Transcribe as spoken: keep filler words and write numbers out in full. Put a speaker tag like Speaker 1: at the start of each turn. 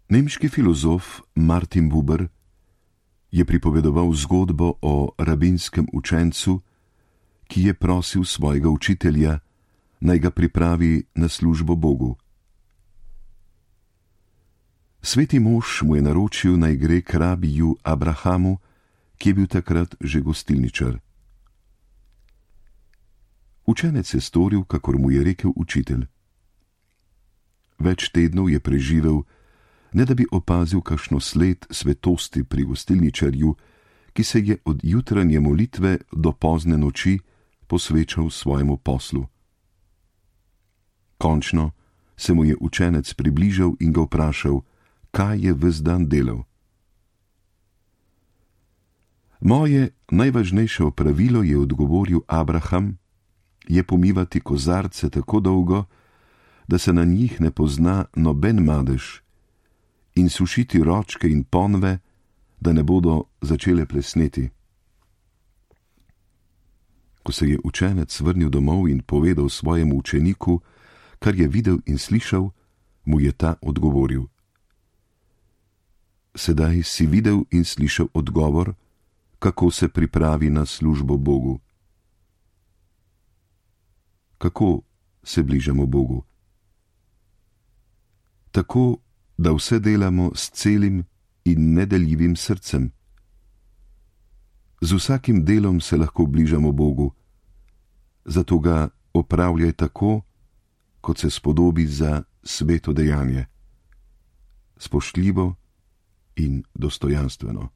Speaker 1: Nemški filozof Martin Buber je pripovedoval zgodbo o rabinskem učencu, ki je prosil svojega učitelja, naj ga pripravi na službo Bogu. Sveti mož mu je naročil, naj gre k rabiju Abrahamu, ki je bil takrat že gostilničar. Učenec je storil, kakor mu je rekel učitelj. Več tednov je preživel, ne da bi opazil kakšno sled svetosti pri gostilničarju, ki se je od jutranje molitve do pozne noči posvečal svojemu poslu. Končno se mu je učenec približal in ga vprašal, kaj je ves dan delal. Moje najvažnejše opravilo, je odgovoril Abraham, je pomivati kozarce tako dolgo, da se na njih ne pozna noben madež, in sušiti ročke in ponve, da ne bodo začele plesneti. Ko se je učenec vrnil domov in povedal svojemu učeniku, kar je videl in slišal, mu je ta odgovoril: Sedaj si videl in slišal odgovor, kako se pripravi na službo Bogu. Kako se bližamo Bogu? Tako, da vse delamo s celim in nedeljivim srcem. Z vsakim delom se lahko bližamo Bogu, zato ga opravljaj tako, kot se spodobi za sveto dejanje, spoštljivo in dostojanstveno.